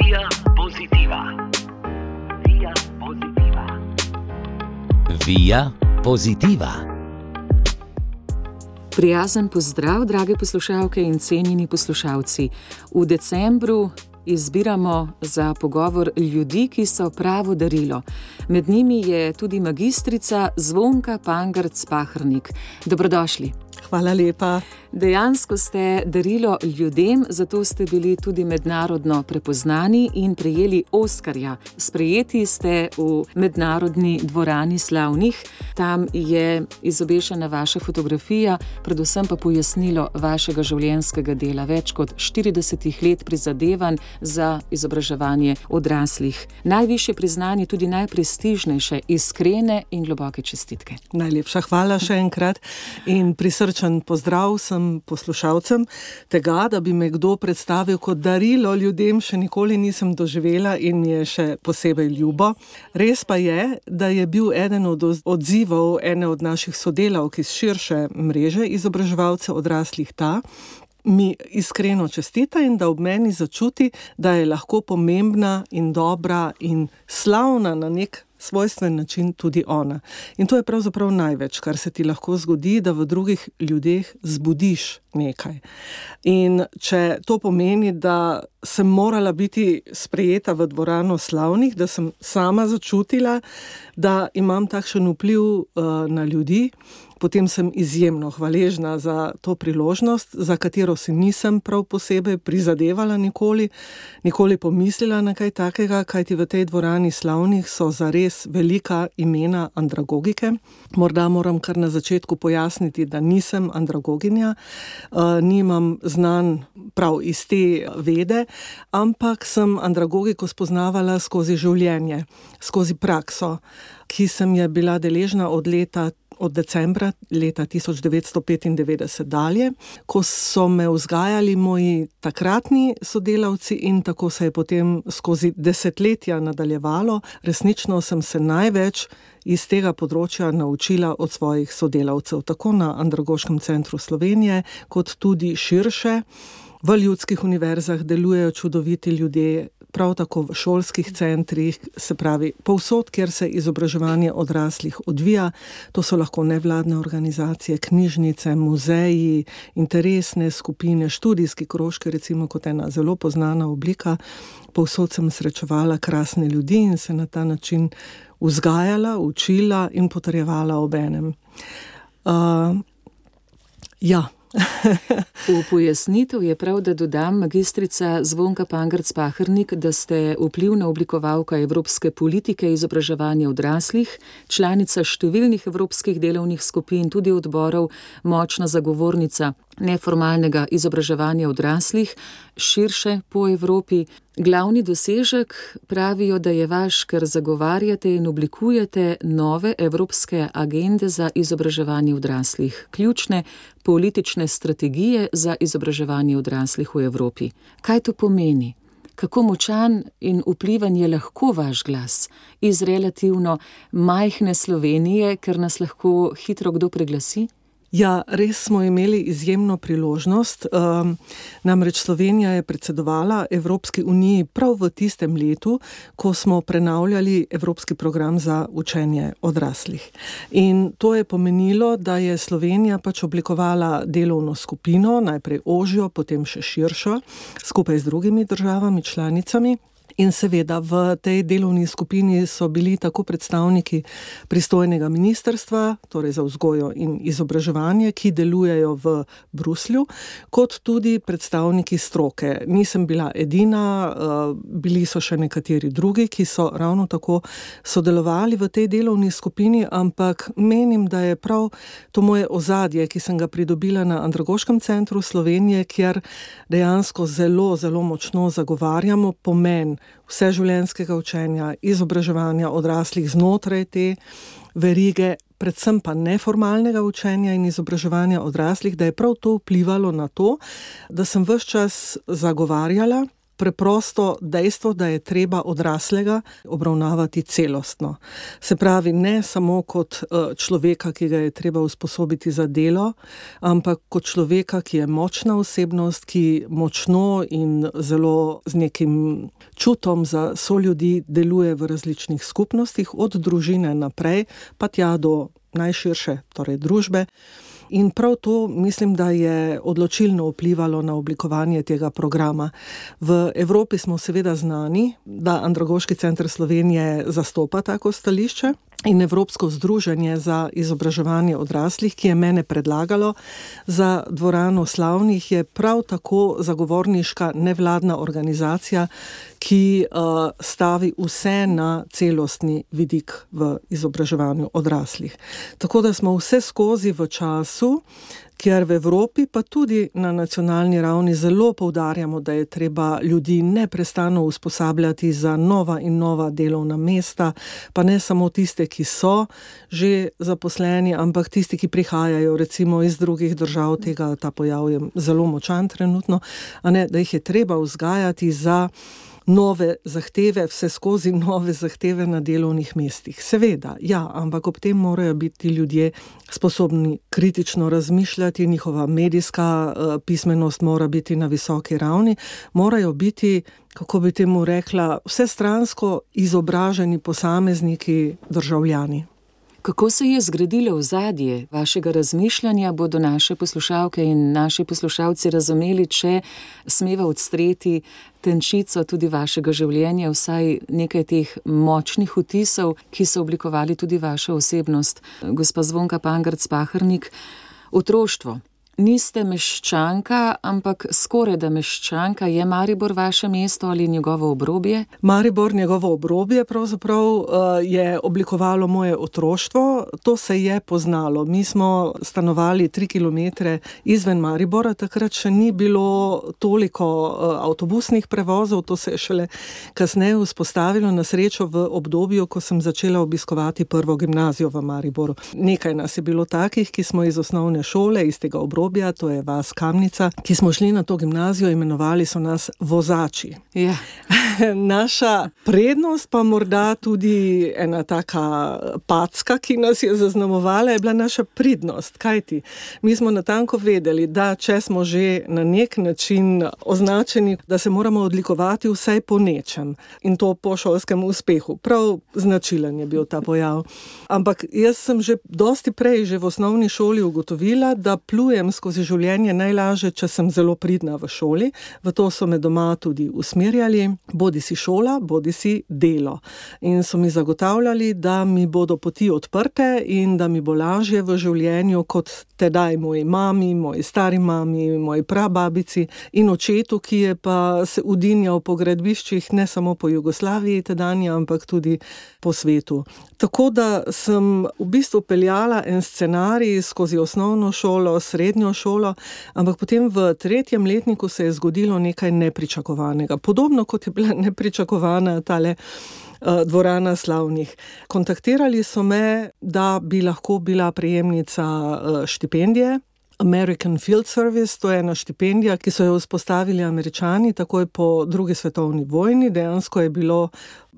Via Positiva. Via Positiva. Via Positiva. Prijazen pozdrav, drage poslušalke in cenjeni poslušalci. V decembru izbiramo za pogovor ljudi, ki so pravo darilo. Med njimi je tudi magistrica Zvonka Pangarc-Pahernik. Dobrodošli. Hvala lepa. Dejansko ste darilo ljudem, zato ste bili tudi mednarodno prepoznani in prejeli Oskarja. Sprejeti ste v mednarodni dvorani slavnih. Tam je izobešena vaša fotografija, predvsem pa pojasnilo vašega življenjskega dela. Več kot 40 let prizadevanj za izobraževanje odraslih. Najvišje priznanje, tudi najprestižnejše, iskrene in globoke čestitke. Najlepša hvala še enkrat in prisrčen pozdrav sem poslušalcem. Tega, da bi me kdo predstavil kot darilo ljudem, še nikoli nisem doživela in mi je še posebej ljubo. Res pa je, da je bil eden od odzivov ene od naših sodelavk iz širše mreže izobraževalcev odraslih mi iskreno čestita in da ob meni začuti, da je lahko pomembna in dobra in slavna na nek svojstven način tudi ona. In to je pravzaprav največ, kar se ti lahko zgodi, da v drugih ljudeh zbudiš nekaj. In če to pomeni, da sem morala biti sprejeta v dvorano slavnih, da sem sama začutila, da imam takšen vpliv na ljudi, potem sem izjemno hvaležna za to priložnost, za katero si nisem prav posebej prizadevala nikoli pomislila na kaj takega, kajti v tej dvorani slavnih so zares velika imena andragogike. Morda moram kar na začetku pojasniti, da nisem andragoginja, nimam znanj prav iz te vede, ampak sem andragogiko spoznavala skozi življenje, skozi prakso, ki sem je bila deležna od decembra leta 1995 dalje, ko so me vzgajali moji takratni sodelavci in tako se je potem skozi desetletja nadaljevalo. Resnično sem se največ iz tega področja naučila od svojih sodelavcev, tako na Andragoškem centru Slovenije, kot tudi širše. V ljudskih univerzah delujejo čudoviti ljudje, prav tako v šolskih centrih, se pravi povsod, kjer se izobraževanje odraslih odvija. To so lahko nevladne organizacije, knjižnice, muzeji, interesne skupine, študijski krožki, recimo kot ena zelo poznana oblika. Povsod sem srečevala krasne ljudi in se na ta način vzgajala, učila in potrjevala obenem. V pojasnitev je prav, da dodam, magistrica Zvonka Pangarc-Pahernik, da ste vplivna oblikovalka evropske politike izobraževanja odraslih, članica številnih evropskih delovnih skupin, tudi odborov, močna zagovornica neformalnega izobraževanja odraslih, širše po Evropi. Glavni dosežek pravijo, da je vaš, ker zagovarjate in oblikujete nove evropske agende za izobraževanje odraslih, ključne politične strategije za izobraževanje odraslih v Evropi. Kaj to pomeni? Kako močan in vplivan je lahko vaš glas iz relativno majhne Slovenije, ker nas lahko hitro kdo preglasi? Ja, res smo imeli izjemno priložnost. Namreč Slovenija je predsedovala Evropski uniji prav v tistem letu, ko smo prenavljali Evropski program za učenje odraslih. In to je pomenilo, da je Slovenija oblikovala delovno skupino, najprej ožjo, potem še širšo, skupaj z drugimi državami, članicami. In seveda v tej delovni skupini so bili tako predstavniki pristojnega ministrstva, torej za vzgojo in izobraževanje, ki delujejo v Bruslju, kot tudi predstavniki stroke. Nisem bila edina, bili so še nekateri drugi, ki so ravno tako sodelovali v tej delovni skupini, ampak menim, da je prav to moje ozadje, ki sem ga pridobila na Andragoškem centru Slovenije, kjer dejansko zelo, zelo močno zagovarjamo pomen vseživljenjskega učenja, izobraževanja odraslih znotraj te verige, predvsem pa neformalnega učenja in izobraževanja odraslih, da je prav to vplivalo na to, da sem ves čas zagovarjala preprosto dejstvo, da je treba odraslega obravnavati celostno. Se pravi, ne samo kot človeka, ki ga je treba usposobiti za delo, ampak kot človeka, ki je močna osebnost, ki močno in zelo z nekim čutom za soljudi deluje v različnih skupnostih, od družine naprej, pa tja do najširše, torej družbe. In prav to mislim, da je odločilno vplivalo na oblikovanje tega programa. V Evropi smo seveda znani, da Andragoški center Slovenije zastopa tako stališče, in Evropsko združenje za izobraževanje odraslih, ki je mene predlagalo za dvorano slavnih, je prav tako zagovorniška nevladna organizacija, ki stavi vse na celostni vidik v izobraževanju odraslih. Tako da smo vse skozi v času, kjer v Evropi pa tudi na nacionalni ravni zelo poudarjamo, da je treba ljudi neprestano usposabljati za nova in nova delovna mesta, pa ne samo tiste, ki so že zaposleni, ampak tisti, ki prihajajo recimo iz drugih držav, ta pojav je zelo močan trenutno, da jih je treba vzgajati za nove zahteve, vse skozi nove zahteve na delovnih mestih. Seveda, ja, ampak ob tem morajo biti ljudje sposobni kritično razmišljati, njihova medijska pismenost mora biti na visoki ravni, morajo biti, kako bi temu rekla, vsestransko izobraženi posamezniki, državljani. Kako se je zgradilo ozadje vašega razmišljanja, bodo naše poslušalke in naši poslušalci razumeli, če smeva odstreti tenčico tudi vašega življenja, vsaj nekaj teh močnih vtisov, ki so oblikovali tudi vašo osebnost. Gospa Zvonka Pangerc-Pahernik, otroštvo. Niste meščanka, ampak skorajda meščanka. Je Maribor vaše mesto ali njegovo obrobje? Maribor, njegovo obrobje pravzaprav je oblikovalo moje otroštvo. To se je poznalo. Mi smo stanovali 3 kilometre izven Maribora, takrat še ni bilo toliko avtobusnih prevozov, to se je šele kasneje vzpostavilo, na srečo v obdobju, ko sem začela obiskovati prvo gimnazijo v Mariboru. Nekaj nas je bilo takih, ki smo iz osnovne šole, iz tega obrobja, to je vas Kamnica, ki smo šli na to gimnazijo, imenovali so nas vozači. Ja. Naša prednost, pa morda tudi ena taka packa, ki nas je zaznamovala, je bila naša pridnost. Kajti, mi smo natanko vedeli, da če smo že na nek način označeni, da se moramo odlikovati vsaj po nečem. In to po šolskem uspehu. Prav značilen je bil ta pojav. Ampak jaz sem že dosti prej, že v osnovni šoli ugotovila, da plujem skozi življenje najlažje, če sem zelo pridna v šoli. V to so me doma tudi usmerjali, bodi si šola, bodi si delo. In so mi zagotavljali, da mi bodo poti odprte in da mi bo lažje v življenju kot tedaj moji mami, moji stari mami, moji prababici in očetu, ki je pa se udinjal po gradbiščih ne samo po Jugoslaviji tedanje, ampak tudi po svetu. Tako da sem v bistvu peljala en scenarij skozi osnovno šolo, srednjo šolo, ampak potem v 3. letniku se je zgodilo nekaj nepričakovanega. Podobno kot je bila nepričakovana tale dvorana slavnih. Kontaktirali so me, da bi lahko bila prejemnica štipendije, American Field Service, to je ena štipendija, ki so jo vzpostavili Američani takoj po drugi svetovni vojni. Dejansko je bilo,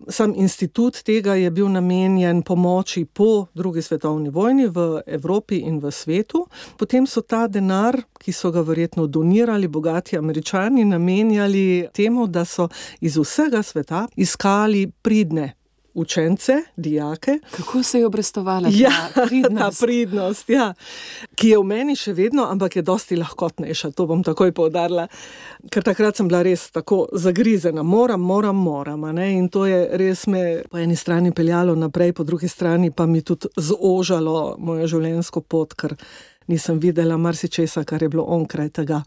sam institut tega je bil namenjen pomoči po drugi svetovni vojni v Evropi in v svetu. Potem so ta denar, ki so ga verjetno donirali bogati Američani, namenjali temu, da so iz vsega sveta iskali pridne učence, dijake. Kako se je obrestovala ta pridnost, ja, ki je v meni še vedno, ampak je dosti lahkotnejša, to bom takoj poudarila, ker takrat sem bila res tako zagrizena, moram, in to je res me po eni strani peljalo naprej, po drugi strani pa mi tudi zožalo mojo življenjsko pot, ker nisem videla marsičesa, kar je bilo onkraj tega.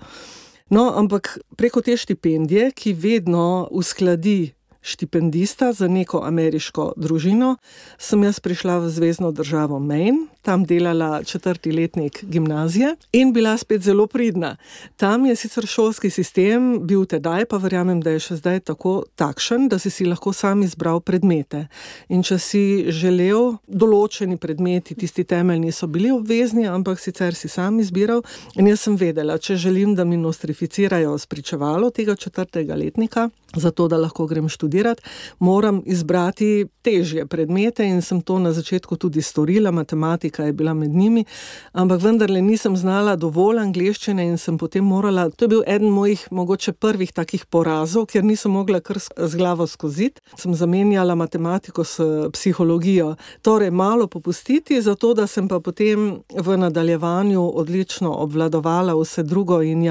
No, ampak preko te štipendije, ki vedno uskladi štipendista za neko ameriško družino, sem jaz prišla v zvezno državo Maine, tam delala 4. letnik gimnazije in bila spet zelo pridna. Tam je sicer šolski sistem bil tedaj, pa verjamem, da je še zdaj tako takšen, da si lahko sam izbral predmete. In če si želel, določeni predmeti, tisti temeljni so bili obvezni, ampak sicer si sam izbiral. In jaz sem vedela, če želim, da mi nostrificirajo spričevalo tega 4. letnika, zato da lahko grem študirati, moram izbrati težje predmete in sem to na začetku tudi storila, matematika je bila med njimi, ampak vendarle nisem znala dovolj angleščine in sem potem morala, to je bil eden mojih mogoče prvih takih porazov, ker nisem mogla kar z glavo skoziti, sem zamenjala matematiko s psihologijo, torej malo popustiti, zato da sem pa potem v nadaljevanju odlično obvladovala vse drugo in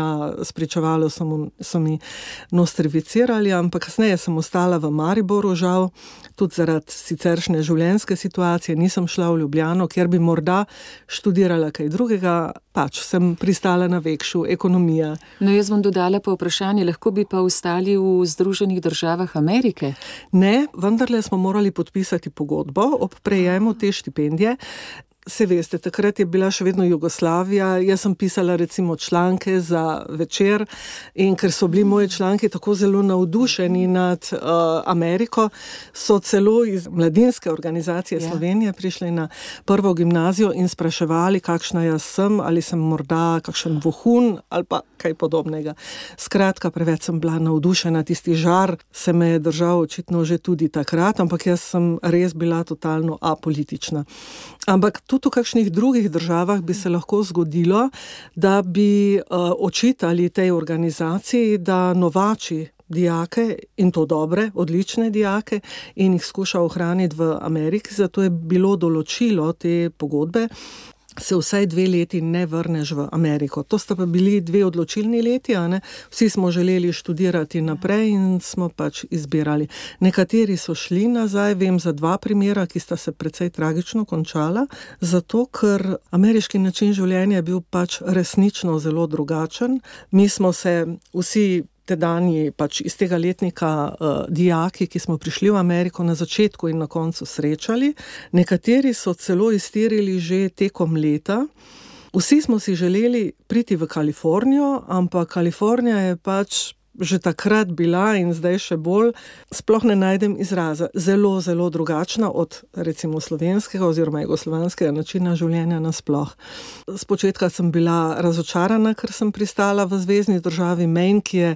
spričevalo so mi nostrificirali, ampak kasneje sem ostala v Mariboru, žal, tudi zaradi siceršnje življenjske situacije, nisem šla v Ljubljano, kjer bi morda študirala kaj drugega, pač sem pristala na Vekšu, ekonomija. No, jaz bom dodala pa vprašanje, lahko bi pa ostali v Združenih državah Amerike? Ne, vendarle smo morali podpisati pogodbo ob prejemu te štipendije. Se veste, takrat je bila še vedno Jugoslavija, jaz sem pisala recimo članke za Večer in ker so bili moji članki tako zelo navdušeni nad Ameriko, so celo iz mladinske organizacije Slovenije prišli na prvo gimnazijo in spraševali, kakšna jaz sem, ali sem morda kakšen vohun ali pa kaj podobnega. Skratka, preveč sem bila navdušena, tisti žar se me je držal očitno že tudi takrat, ampak jaz sem res bila totalno apolitična. Ampak tudi v kakšnih drugih državah bi se lahko zgodilo, da bi očitali tej organizaciji, da novači dijake, in to dobre, odlične dijake, in jih skuša ohraniti v Ameriki, zato je bilo določilo te pogodbe, se vsaj 2 leti ne vrneš v Ameriko. To sta pa bili 2 odločilni leti, a ne? Vsi smo želeli študirati naprej in smo pač izbirali. Nekateri so šli nazaj, vem za 2 primera, ki sta se precej tragično končala, zato ker ameriški način življenja je bil pač resnično zelo drugačen. Mi smo se vsi tedanji pač iz tega letnika dijaki, ki smo prišli v Ameriko na začetku in na koncu srečali. Nekateri so celo iztirili že tekom leta. Vsi smo si želeli priti v Kalifornijo, ampak Kalifornija je pač že takrat bila in zdaj še bolj, sploh ne najdem izraza, zelo, zelo drugačna od recimo slovenskega oziroma jugoslovanskega načina življenja nasploh. Spočetka sem bila razočarana, ker sem pristala v zvezni državi Maine, ki je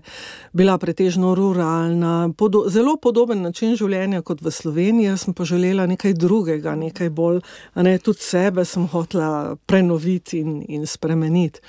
bila pretežno ruralna, zelo podoben način življenja kot v Sloveniji, jaz sem pa želela nekaj drugega, nekaj bolj, tudi sebe sem hotela prenoviti in spremeniti.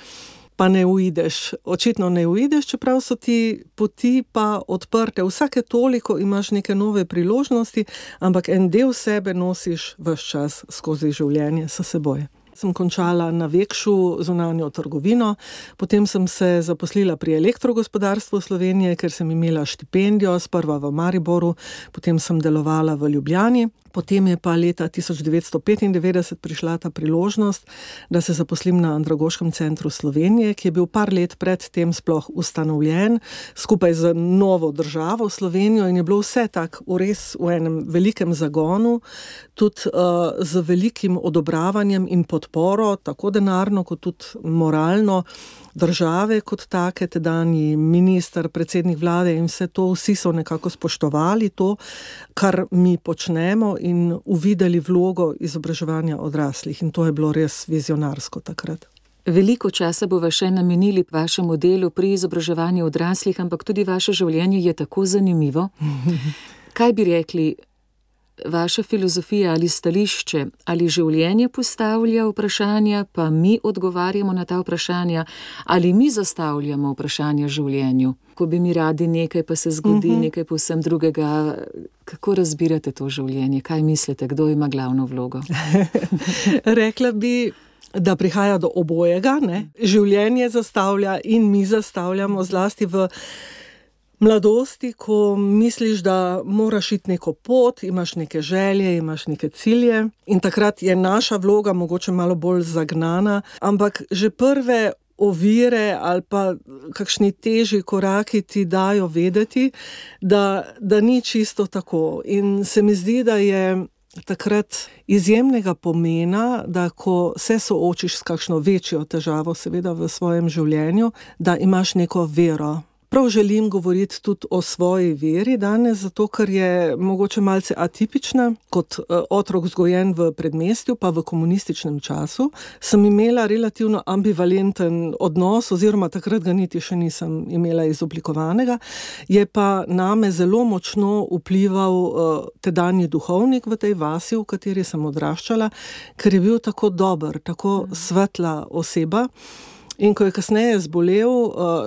Pa ne uideš, očitno ne uideš, čeprav so ti poti pa odprte. Vsake toliko imaš neke nove priložnosti, ampak en del sebe nosiš ves čas skozi življenje s seboj. Sem končala na Vekšu zunanjo trgovino, potem sem se zaposlila pri Elektrogospodarstvu Slovenije, ker sem imela štipendijo, sprva v Mariboru, potem sem delovala v Ljubljani. Potem je pa leta 1995 prišla ta priložnost, da se zaposlim na Andragoškem centru Slovenije, ki je bil par let pred tem sploh ustanovljen, skupaj z novo državo Slovenijo in je bilo vse tako res v enem velikem zagonu, tudi z velikim odobravanjem in podporo, tako denarno kot tudi moralno, države kot take, tedanji minister, predsednik vlade in vse to, vsi so nekako spoštovali to, kar mi počnemo in uvideli vlogo izobraževanja odraslih in to je bilo res vizionarsko takrat. Veliko časa bova še namenili vašemu delu pri izobraževanju odraslih, ampak tudi vaše življenje je tako zanimivo. Kaj bi rekli, vaša filozofija ali stališče, ali življenje postavlja vprašanja, pa mi odgovarjamo na ta vprašanja, ali mi zastavljamo vprašanja življenju? Ko bi mi radi nekaj, pa se zgodi nekaj povsem drugega. Kako razbirate to življenje? Kaj mislite, kdo ima glavno vlogo? Rekla bi, da prihaja do obojega, ne? Življenje zastavlja in mi zastavljamo, zlasti v mladosti, ko misliš, da moraš iti neko pot, imaš neke želje, imaš neke cilje in takrat je naša vloga mogoče malo bolj zagnana, ampak že prve ovire ali pa kakšni težji koraki ti dajo vedeti, da ni čisto tako. In se mi zdi, da je takrat izjemnega pomena, da ko se soočiš s kakšno večjo težavo seveda v svojem življenju, da imaš neko vero. prav želim govoriti tudi o svoji veri danes, zato ker je mogoče malce atipična. Kot otrok vzgojen v predmestju, pa v komunističnem času, sem imela relativno ambivalenten odnos, oziroma takrat ga niti še nisem imela izoblikovanega. Je pa name zelo močno vplival tedanji duhovnik v tej vasi, v kateri sem odraščala, ker je bil tako dober, tako svetla oseba. In ko je kasneje zbolel,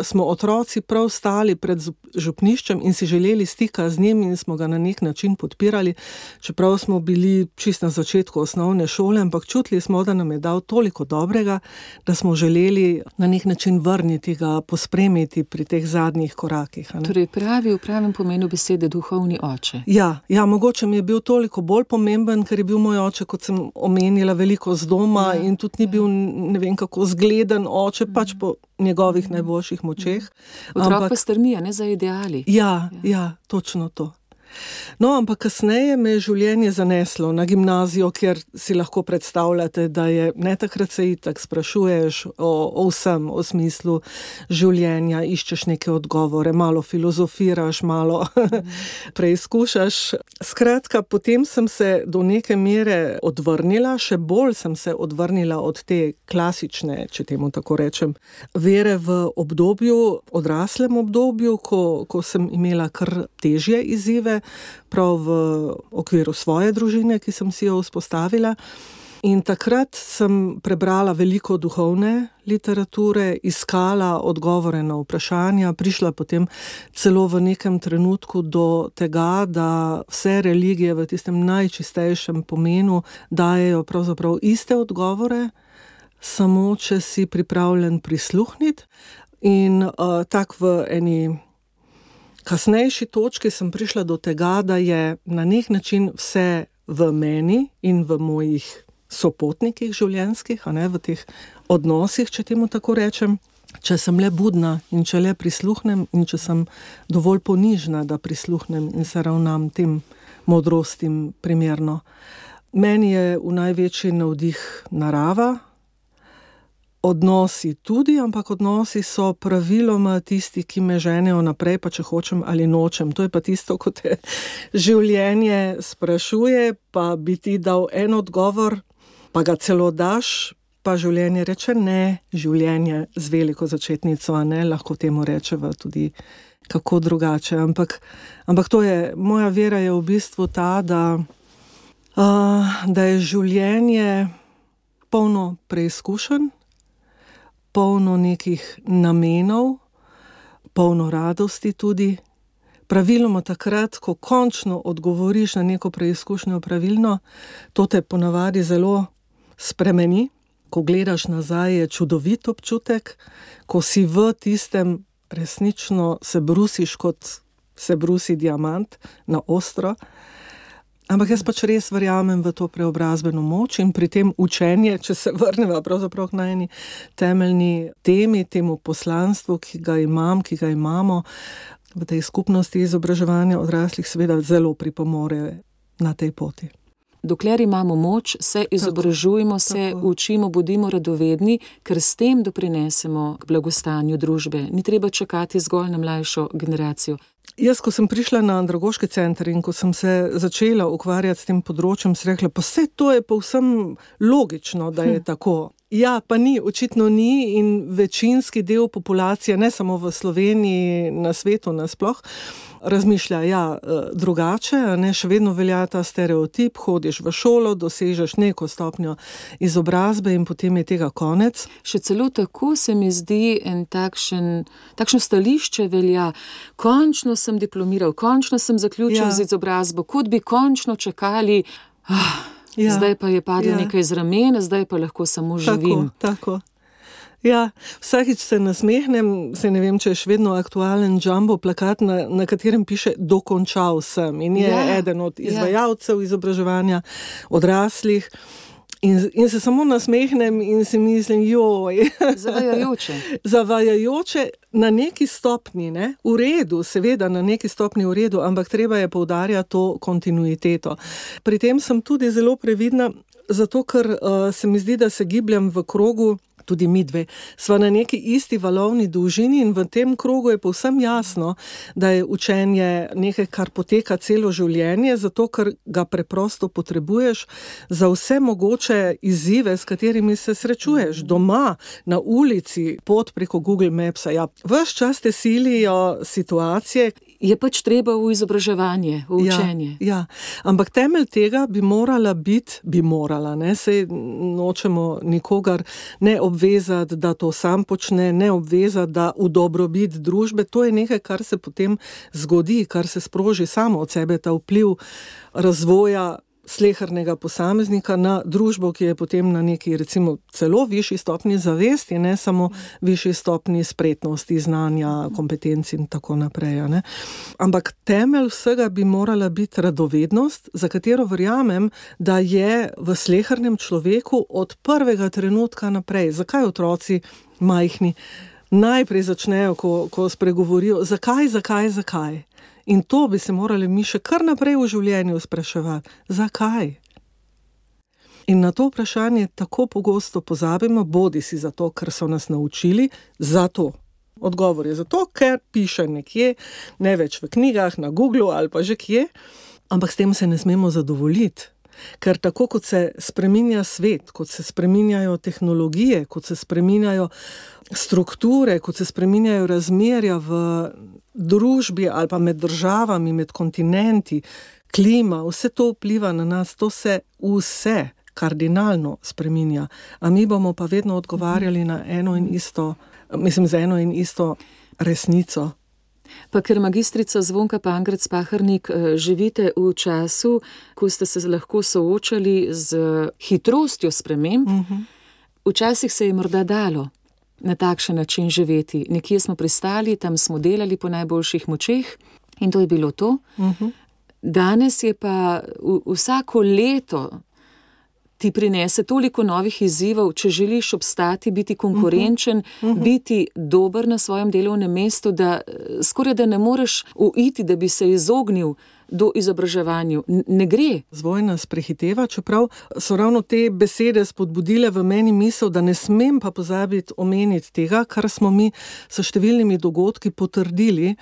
smo otroci prav stali pred župniščem in si želeli stika z njim in smo ga na nek način podpirali, čeprav smo bili čist na začetku osnovne šole, ampak čutili smo, da nam je dal toliko dobrega, da smo želeli na nek način vrniti ga, pospremiti pri teh zadnjih korakih. Torej pravi v pravem pomenu besede duhovni oče. Ja, mogoče mi je bil toliko bolj pomemben, ker je bil moj oče, kot sem omenila, veliko z doma in tudi ni bil ne vem kako zgleden oče, pač po njegovih najboljših močeh. Otrok pa strmi, ne, za ideali. Ja, točno to. No, ampak kasneje me je življenje zaneslo na gimnazijo, kjer si lahko predstavljate, da je, ne, takrat se itak sprašuješ o vsem, o smislu življenja, iščeš neke odgovore, malo filozofiraš, malo preizkušaš. Skratka, potem sem se do neke mere odvrnila, še bolj sem se odvrnila od te klasične, če temu tako rečem, vere v obdobju, odraslem obdobju, ko sem imela kar težje izzive, prav v okviru svoje družine, ki sem si jo vzpostavila. In takrat sem prebrala veliko duhovne literature, iskala odgovore na vprašanja, prišla potem celo v nekem trenutku do tega, da vse religije v tistem najčistejšem pomenu dajejo pravzaprav iste odgovore, samo če si pripravljen prisluhniti. In tak v eni kasnejši točki sem prišla do tega, da je na nek način vse v meni in v mojih sopotnikih življenjskih, v teh odnosih, če temu tako rečem, če sem le budna in če le prisluhnem in če sem dovolj ponižna, da prisluhnem in se ravnam tem modrostim primerno. Meni je v največji navdih narava, odnosi tudi, ampak odnosi so praviloma tisti, ki me ženejo naprej, pa če hočem ali nočem. To je pa tisto, ko te življenje sprašuje, pa bi ti dal en odgovor, pa ga celo daš, pa življenje reče ne, življenje z veliko začetnico, lahko temu rečeva tudi kako drugače. Ampak to je, moja vera je v bistvu ta, da je življenje polno preizkušenj, polno nekih namenov, polno radosti tudi. Praviloma takrat, ko končno odgovoriš na neko preizkušnjo pravilno, to te ponavadi zelo spremeni. Ko gledaš nazaj, je čudovit občutek, ko si v tistem resnično se brusiš, kot se brusi diamant na ostro. Ampak jaz pač res verjamem v to preobrazbeno moč in pri tem učenje, če se vrneva pravzaprav na eni temeljni temi, temu poslanstvu, ki ga imamo v tej skupnosti izobraževanja odraslih, seveda zelo pripomore na tej poti. Dokler imamo moč, se izobražujemo, se učimo, bodimo radovedni, ker s tem doprinesemo k blagostanju družbe. Ni treba čakati zgolj na mlajšo generacijo. Jaz, ko sem prišla na andragoški center in ko sem se začela ukvarjati s tem področjem, sem rekla, pa vse to je povsem logično, da je tako. Ja, pa ni, očitno ni in večinski del populacije, ne samo v Sloveniji, na svetu nasploh, razmišlja drugače, še vedno velja ta stereotip, hodiš v šolo, dosežeš neko stopnjo izobrazbe in potem je tega konec. Še celo tako se mi zdi takšno stališče velja, končno sem diplomiral, končno sem zaključil z izobrazbo, kot bi končno čakali, zdaj pa je padlo nekaj z ramena, zdaj pa lahko samo živim. Tako. Ja, vsakič se nasmehnem, ne vem, če je še vedno aktualen jumbo plakat, na katerem piše dokončal sem in je eden od izvajalcev izobraževanja odraslih. In se samo nasmehnem in si mislim, Zavajajoče na neki stopni, v redu, seveda na neki stopni v redu, ampak treba je poudarjati to kontinuiteto. Pri tem sem tudi zelo previdna, zato ker se mi zdi, da se gibljem v krogu tudi midve, sva na neki isti valovni dolžini in v tem krogu je povsem jasno, da je učenje nekaj, kar poteka celo življenje, zato ker ga preprosto potrebuješ za vse mogoče izzive, s katerimi se srečuješ. Doma, na ulici, pot preko Google Mapsa. Ja, ves čas te silijo situacije. Je pač treba v izobraževanje, v učenje. Ja. Ampak temelj tega bi morala, ne, sej nočemo nikogar ne obvezati, da to sam počne, ne obvezati, da v dobrobit družbe, to je nekaj, kar se potem zgodi, kar se sproži samo od sebe, ta vpliv razvoja slehernega posameznika na družbo, ki je potem na neki, recimo, celo višji stopnji zavesti, ne samo višji stopnji spretnosti, znanja, kompetenci in tako naprej. Ne. Ampak temelj vsega bi morala biti radovednost, za katero verjamem, da je v slehernem človeku od prvega trenutka naprej. Zakaj otroci majhni najprej začnejo, ko spregovorijo, zakaj? In to bi se morali mi še kar naprej v življenju spraševati. Zakaj? In na to vprašanje tako pogosto pozabimo, bodisi zato, ker so nas naučili, zato. Odgovor je zato, ker piše nekje, ne več v knjigah, na Googlu ali pa že kje, ampak s tem se ne smemo zadovoljiti. Ker tako kot se spreminja svet, kot se spreminjajo tehnologije, kot se spreminjajo strukture, kot se spreminjajo razmerja v družbi ali pa med državami, med kontinenti, klima, vse to vpliva na nas, to se vse kardinalno spreminja. A mi bomo pa vedno odgovarjali na z eno in isto resnico. Pa ker magistrica Zvonka Pangerc Pahernik živite v času, ko ste se lahko soočali z hitrostjo sprememb, včasih se je morda dalo na takšen način živeti. Nekje smo pristali, tam smo delali po najboljših močeh in to je bilo to. Danes je pa vsako leto ti prinese toliko novih izzivov, če želiš obstati, biti konkurenčen, biti dober na svojem delovnem mestu, da skoraj da ne moreš uiti, da bi se izognil do izobraževanju. Ne gre. Zvoj nas prehiteva, čeprav so ravno te besede spodbudile v meni misel, da ne smem pa pozabiti omeniti tega, kar smo mi s številnimi dogodki potrdili,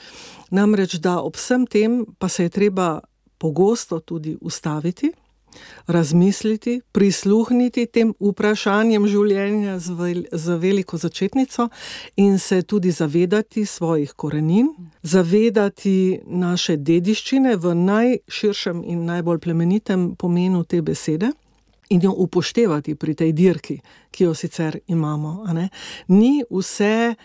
namreč da ob vsem tem pa se je treba pogosto tudi ustaviti, razmisliti, prisluhniti tem vprašanjem življenja z veliko začetnico in se tudi zavedati svojih korenin, zavedati naše dediščine v najširšem in najbolj plemenitem pomenu te besede in jo upoštevati pri tej dirki, ki jo sicer imamo. A ne? Ni vse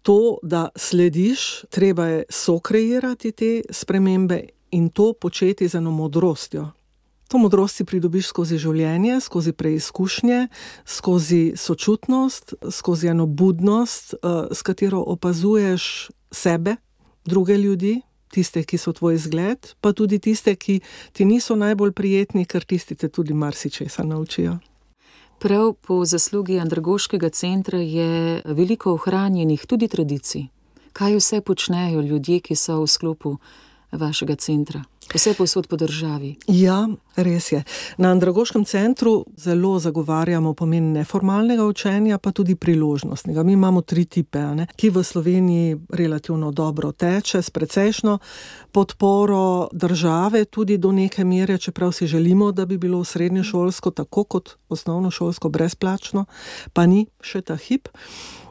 to, da slediš, treba je sokreirati te spremembe in to početi z eno modrostjo. To modrost si pridobiš skozi življenje, skozi preizkušnje, skozi sočutnost, skozi eno budnost, s katero opazuješ sebe, druge ljudi, tiste, ki so tvoj zgled, pa tudi tiste, ki ti niso najbolj prijetni, ker tisti te tudi marsičesa naučijo. Prav po zaslugi Andragoškega centra je veliko ohranjenih tudi tradicij. Kaj vse počnejo ljudje, ki so v sklopu vašega centra? Vse povsod po državi. Ja, res je. Na Andragoškem centru zelo zagovarjamo pomen neformalnega učenja, pa tudi priložnostnega. Mi imamo 3 tipe, ki v Sloveniji relativno dobro teče, s precejšno podporo države, tudi do neke mere, čeprav si želimo, da bi bilo srednješolsko tako kot osnovnošolsko brezplačno, pa ni še ta hip.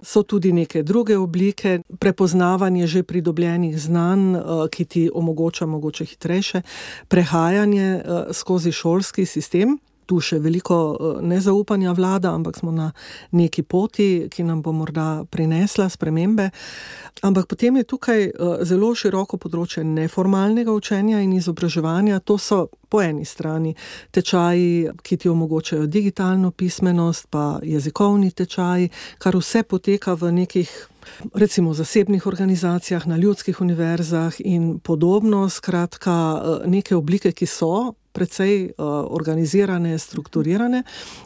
So tudi neke druge oblike, prepoznavanje že pridobljenih znanj, ki ti omogoča mogoče hitrejše prehajanje skozi šolski sistem. Tu še veliko nezaupanja vlada, ampak smo na neki poti, ki nam bo morda prinesla spremembe. Ampak potem je tukaj zelo široko področje neformalnega učenja in izobraževanja. To so po eni strani tečaji, ki ti omogočajo digitalno pismenost, pa jezikovni tečaji, kar vse poteka v nekih, recimo, zasebnih organizacijah, na ljudskih univerzah in podobno. Skratka, neke oblike, ki so precej organizirane, strukturirane.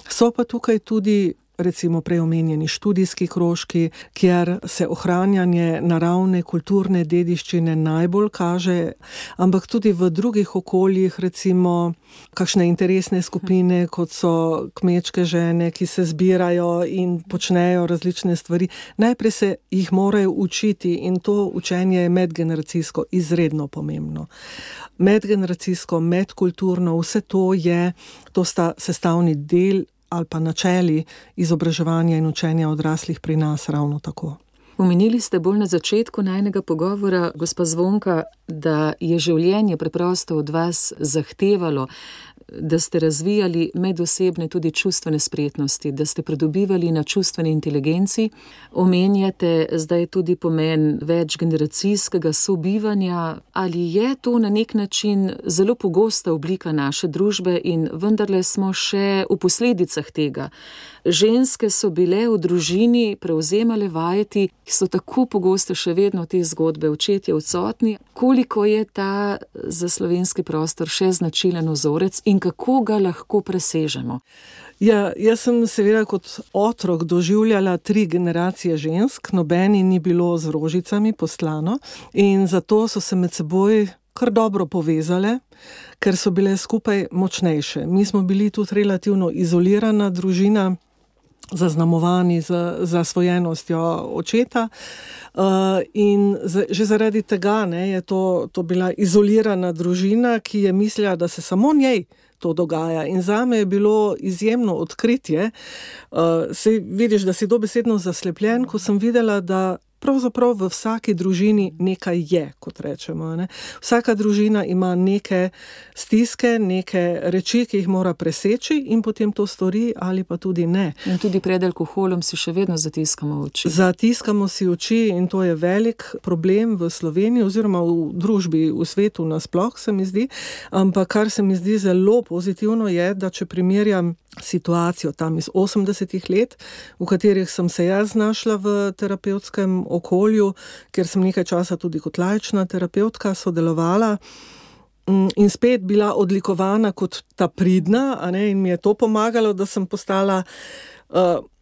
So pa tukaj tudi recimo preomenjeni študijski krožki, kjer se ohranjanje naravne kulturne dediščine najbolj kaže, ampak tudi v drugih okoljih, recimo kakšne interesne skupine, kot so kmečke žene, ki se zbirajo in počnejo različne stvari. Najprej se jih morajo učiti in to učenje je medgeneracijsko izredno pomembno. Medgeneracijsko, medkulturno, vse to sta sestavni del ali pa načeli izobraževanja in učenja odraslih pri nas ravno tako. Omenili ste bolj na začetku najinega pogovora, gospa Zvonka, da je življenje preprosto od vas zahtevalo, da ste razvijali medosebne tudi čustvene spretnosti, da ste pridobivali na čustveni inteligenci. Omenjate zdaj tudi pomen večgeneracijskega sobivanja. Ali je to na nek način zelo pogosta oblika naše družbe in vendarle smo še v posledicah tega? Ženske so bile v družini, prevzemale vajeti, ki so tako pogosto še vedno te zgodbe, očetje odsotni. Koliko je ta za slovenski prostor še značilen vzorec in kako ga lahko presežemo? Ja, jaz sem seveda kot otrok doživljala 3 generacije žensk, nobeni ni bilo z rožicami poslano in zato so se med seboj kar dobro povezale, ker so bile skupaj močnejše. Mi smo bili tudi relativno izolirana družina, zaznamovani z zasvojenostjo očeta in že zaradi tega je to bila izolirana družina, ki je mislila, da se samo njej to dogaja. In zame je bilo izjemno odkritje. Vidiš, da si dobesedno zaslepljen, ko sem videla, da pravzaprav v vsaki družini nekaj je, kot rečemo. Vsaka družina ima neke stiske, neke reči, ki jih mora preseči in potem to stori ali pa tudi ne. In tudi pred alkoholom si še vedno zatiskamo oči. Zatiskamo si oči in to je velik problem v Sloveniji oziroma v družbi, v svetu nasploh, se mi zdi. Ampak kar se mi zdi zelo pozitivno je, da če primerjam situacijo tam iz 80-ih let, v katerih sem se jaz znašla v terapevtskem okolju, ker sem nekaj časa tudi kot laična terapevtka sodelovala in spet bila odlikovana kot ta pridna, in mi je to pomagalo, da sem postala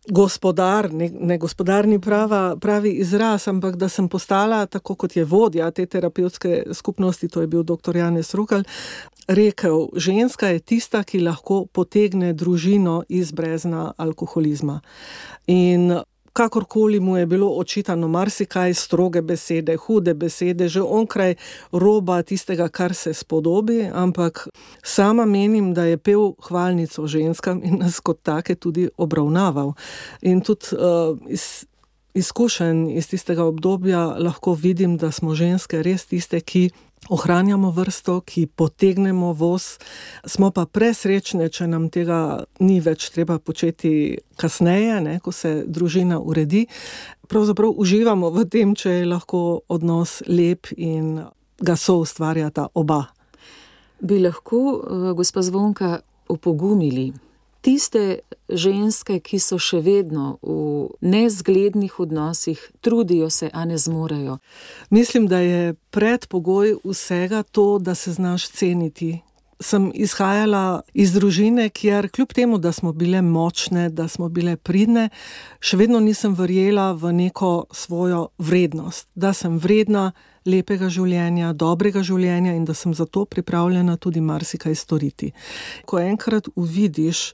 gospodar, ne gospodar ni pravi izraz, ampak da sem postala, tako kot je vodja te terapevtske skupnosti, to je bil dr. Janez Rukal, rekel, ženska je tista, ki lahko potegne družino iz brezna alkoholizma. In kakorkoli mu je bilo očitano marsikaj, stroge besede, hude besede, že onkraj roba tistega, kar se spodobi, ampak sama menim, da je pel hvalnico ženskam in nas kot take tudi obravnaval. In tudi iz izkušenj iz tistega obdobja lahko vidim, da smo ženske res tiste, ki ohranjamo vrsto, ki potegnemo voz, smo pa presrečne, če nam tega ni več treba početi kasneje, ko se družina uredi. Pravzaprav uživamo v tem, če je lahko odnos lep in ga soustvarjata oba. Bi lahko, gospa Zvonka, opogumili tiste ženske, ki so še vedno v nezglednih odnosih, trudijo se, a ne zmorejo? Mislim, da je predpogoj vsega to, da se znaš ceniti. Sem izhajala iz družine, kjer kljub temu, da smo bile močne, da smo bile pridne, še vedno nisem verjela v neko svojo vrednost, da sem vredna lepega življenja, dobrega življenja in da sem zato pripravljena tudi marsikaj storiti. Ko enkrat uvidiš,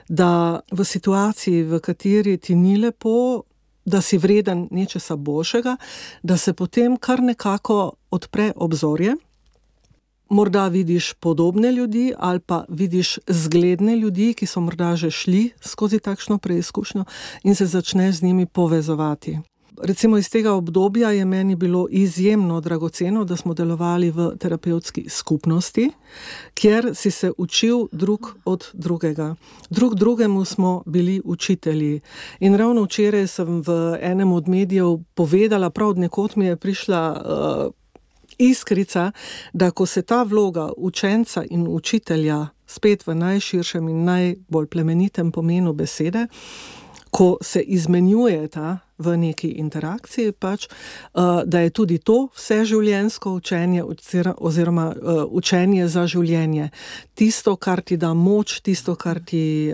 da v situaciji, v kateri ti ni lepo, da si vreden nečesa boljšega, da se potem kar nekako odpre obzorje, morda vidiš podobne ljudi ali pa vidiš zgledne ljudi, ki so morda že šli skozi takšno preizkušnjo in se začneš z njimi povezovati. Recimo iz tega obdobja je meni bilo izjemno dragoceno, da smo delovali v terapevtski skupnosti, kjer si se učil drug od drugega. Drug drugemu smo bili učitelji. In ravno včeraj sem v enem od medijev povedala, prav od nekod mi je prišla iskrica, da ko se ta vloga učenca in učitelja spet v najširšem in najbolj plemenitem pomenu besede, ko se izmenjujeta v neki interakciji, pač, da je tudi to vseživljenjsko učenje oziroma učenje za življenje. Tisto, kar ti da moč, tisto, kar ti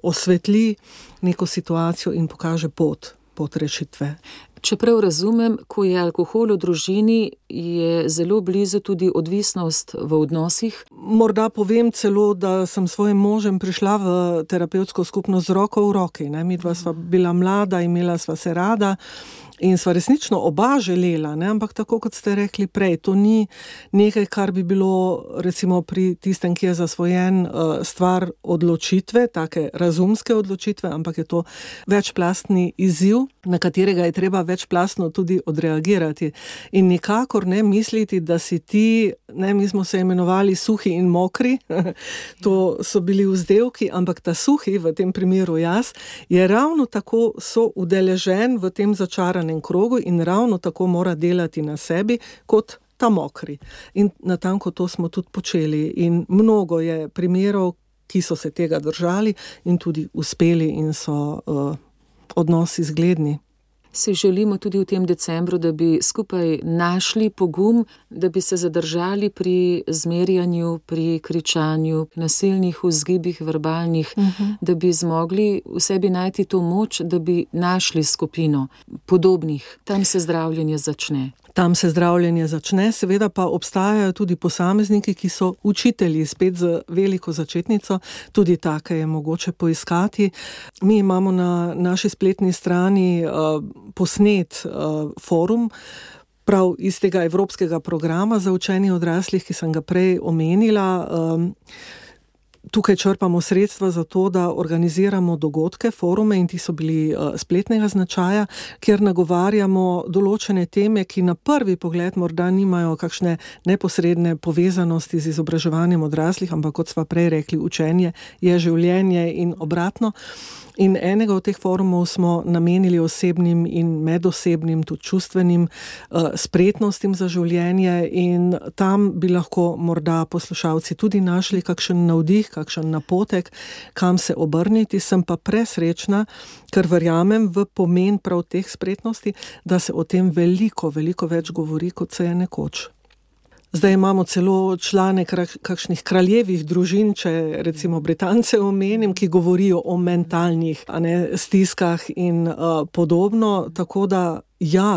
osvetli neko situacijo in pokaže pot rešitve. Čeprav razumem, ko je alkohol v družini, je zelo blizu tudi odvisnost v odnosih. Morda povem celo, da sem svojim možem prišla v terapevtsko skupnost z roko v roki. Midva sva bila mlada, imela sva se rada in sva resnično oba želela, ampak tako kot ste rekli prej, to ni nekaj, kar bi bilo recimo pri tistem, ki je zasvojen, stvar odločitve, take razumske odločitve, ampak je to večplastni izziv, na katerega je treba večplastno tudi odreagirati. In nikakor ne misliti, da si ti, mi smo se imenovali suhi in mokri, to so bili vzdevki, ampak ta suhi, v tem primeru jaz, je ravno tako soudeležen v tem začaranem krogu in ravno tako mora delati na sebi kot ta mokri. In natanko to smo tudi počeli. In mnogo je primerov, ki so se tega držali in tudi uspeli in so odnosi zgledni. Si želimo tudi v tem decembru, da bi skupaj našli pogum, da bi se zadržali pri zmerjanju, pri kričanju, nasilnih vzgibih, verbalnih, da bi zmogli v sebi najti to moč, da bi našli skupino podobnih. Tam se zdravljenje začne. Tam se zdravljenje začne, seveda pa obstajajo tudi posamezniki, ki so učitelji, spet z veliko začetnico, tudi take je mogoče poiskati. Mi imamo na naši spletni strani posnet forum, prav iz tega evropskega programa za učenje odraslih, ki sem ga prej omenila. Tukaj črpamo sredstva za to, da organiziramo dogodke, forume in ti so bili spletnega značaja, kjer nagovarjamo določene teme, ki na prvi pogled morda nimajo kakšne neposredne povezanosti z izobraževanjem odraslih, ampak kot sva prej rekli, učenje je življenje in obratno. In enega od teh forumov smo namenili osebnim in medosebnim, tudi čustvenim spretnostim za življenje in tam bi lahko morda poslušalci tudi našli kakšen navdih, kakšen napotek, kam se obrniti. Sem pa presrečna, ker verjamem v pomen prav teh spretnosti, da se o tem veliko več govori, kot se je nekoč. Zdaj imamo celo člane kakšnih kraljevih družin, če recimo Britance omenim, ki govorijo o mentalnih stiskah in podobno, tako da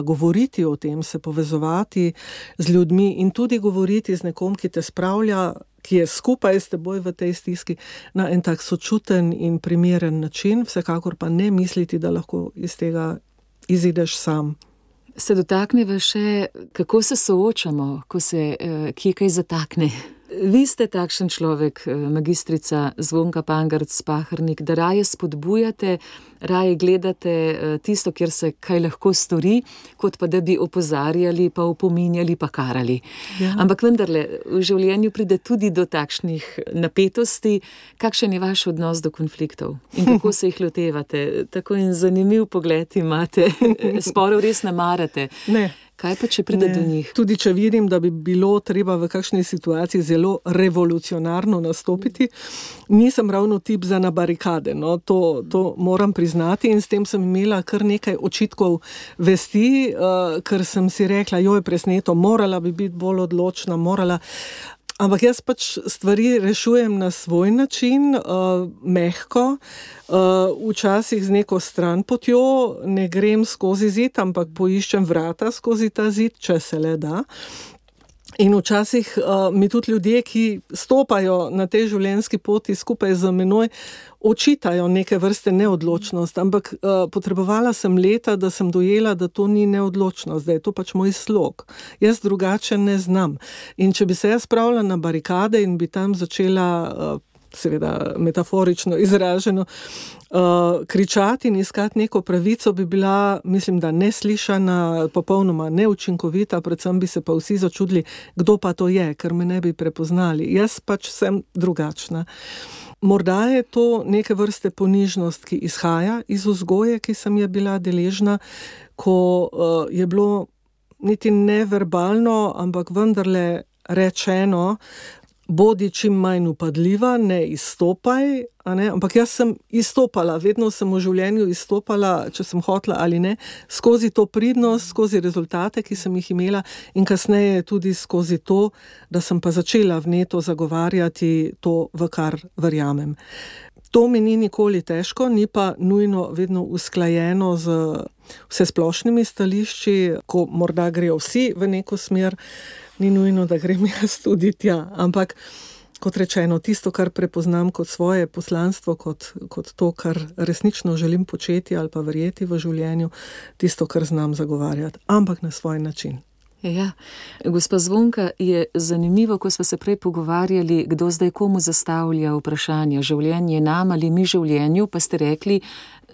govoriti o tem, se povezovati z ljudmi in tudi govoriti z nekom, ki te spravlja, ki je skupaj s teboj v tej stiski na en tak sočuten in primeren način, vsekakor pa ne misliti, da lahko iz tega izideš sam. Se dotakneva še, kako se soočamo, ko se kje kaj zatakne. Vi ste takšen človek, magistrica Zvonka Pangarc-Pahernik, da raje spodbujate, raje gledate tisto, kjer se kaj lahko stori, kot pa da bi opozarjali, pa opominjali, pa karali. Ja. Ampak vendarle, v življenju pride tudi do takšnih napetosti. Kakšen je vaš odnos do konfliktov in kako se jih lotevate? Tako in zanimiv pogled imate, sporov res ne marate. Ne. Kaj pa, če pride do njih? Tudi če vidim, da bi bilo treba v kakšni situaciji zelo revolucionarno nastopiti, nisem ravno tip za na barikade. No, to moram priznati in s tem sem imela kar nekaj očitkov vesti, ker sem si rekla, presneto, morala bi biti bolj odločna, Ampak jaz pač stvari rešujem na svoj način, mehko, včasih z neko stranpotjo, ne grem skozi zid, ampak poiščem vrata skozi ta zid, če se le da. In včasih mi tudi ljudje, ki stopajo na tej življenjski poti skupaj z menoj, očitajo neke vrste neodločnost, ampak potrebovala sem leta, da sem dojela, da to ni neodločnost, da je to pač moj slog. Jaz drugače ne znam. In če bi se jaz spravila na barikade in bi tam začela, seveda metaforično izraženo, kričati in iskati neko pravico, bi bila, mislim, da neslišana, popolnoma neučinkovita, predvsem bi se pa vsi začudili, kdo pa to je, ker me ne bi prepoznali. Jaz pač sem drugačna. Morda je to neke vrste ponižnost, ki izhaja iz vzgoje, ki sem je bila deležna, ko je bilo niti neverbalno, ampak vendarle rečeno, bodi čim manj upadljiva, ne izstopaj, ampak jaz sem izstopala, vedno sem v življenju izstopala, če sem hotela ali ne, skozi to pridnost, skozi rezultate, ki sem jih imela in kasneje tudi skozi to, da sem pa začela vneto zagovarjati to, v kar verjamem. To mi ni nikoli težko, ni pa nujno vedno usklajeno z vsesplošnimi stališči, ko morda grejo vsi v neko smer, ni nujno, da grem jaz tudi tja, ampak kot rečeno, tisto, kar prepoznam kot svoje poslanstvo, kot to, kar resnično želim početi ali pa verjeti v življenju, tisto, kar znam zagovarjati, ampak na svoj način. Ja, gospa Zvonka, je zanimivo, ko smo se prej pogovarjali, kdo zdaj komu zastavlja vprašanja, življenje nam ali mi življenju, pa ste rekli,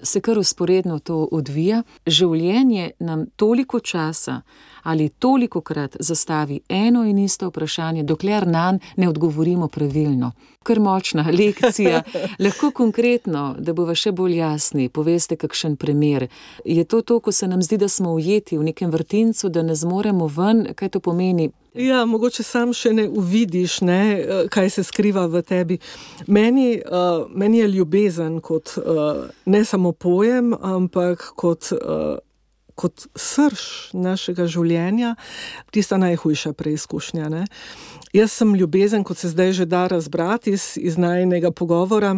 se kar vzporedno to odvija. Življenje nam toliko časa ali tolikokrat zastavi eno in isto vprašanje, dokler nanj ne odgovorimo pravilno. Kar močna lekcija. Lahko konkretno, da bova še bolj jasni, poveste kakšen primer. Je to, ko se nam zdi, da smo ujeti v nekem vrtincu, da ne zmoremo ven, kaj to pomeni? Ja, mogoče sam še ne uvidiš, kaj se skriva v tebi. Meni je ljubezen kot ne samo pojem, ampak kot srž našega življenja, tista najhujša preizkušnja. Jaz sem ljubezen, kot se zdaj že da razbrati iz najinega pogovora,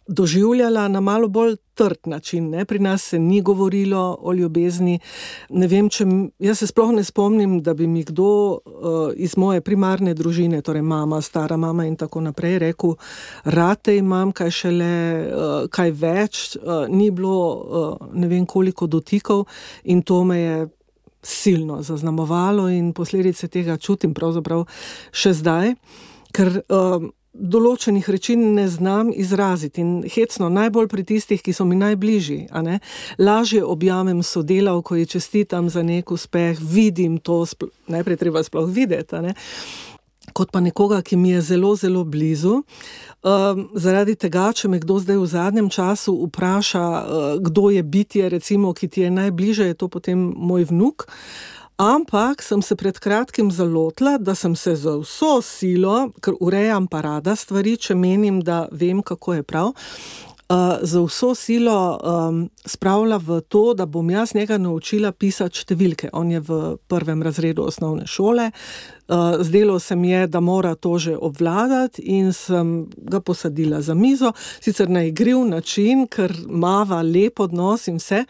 doživljala na malo bolj trd način. Pri nas se ni govorilo o ljubezni. Ne vem, jaz se sploh ne spomnim, da bi mi kdo iz moje primarne družine, torej mama, stara mama in tako naprej, rekel, rate imam, kaj šele, kaj več, ni bilo ne vem koliko dotikov in to me je silno zaznamovalo in posledice tega čutim pravzaprav še zdaj, ker določenih reči ne znam izraziti in hecno, najbolj pri tistih, ki so mi najbližji, lažje objamem sodelavko, ji čestitam za nek uspeh, vidim to, najprej treba sploh videti, kot pa nekoga, ki mi je zelo, zelo blizu. Zaradi tega, če me kdo zdaj v zadnjem času vpraša, kdo je bitje, recimo, ki ti je najbliže, je to potem moj vnuk. Ampak sem se pred kratkim zalotila, da sem se za vso silo, ker urejam pa rada stvari, če menim, da vem, kako je prav, za vso silo spravila v to, da bom jaz njega naučila pisati številke. On je v 1. razredu osnovne šole, zdelo se mi je, da mora to že obvladati in sem ga posadila za mizo, sicer na igriv način, ker mava lep odnos in vse,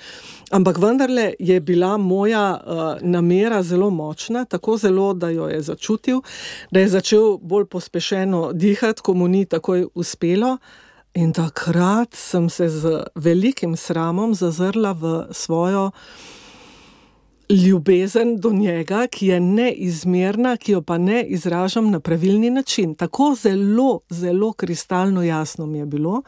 ampak vendarle je bila moja namera zelo močna, tako zelo, da jo je začutil, da je začel bolj pospešeno dihati, ko mu ni takoj uspelo. In takrat sem se z velikim sramom zazrla v svojo ljubezen do njega, ki je neizmerna, ki jo pa ne izražam na pravilni način. Tako zelo, zelo kristalno jasno mi je bilo.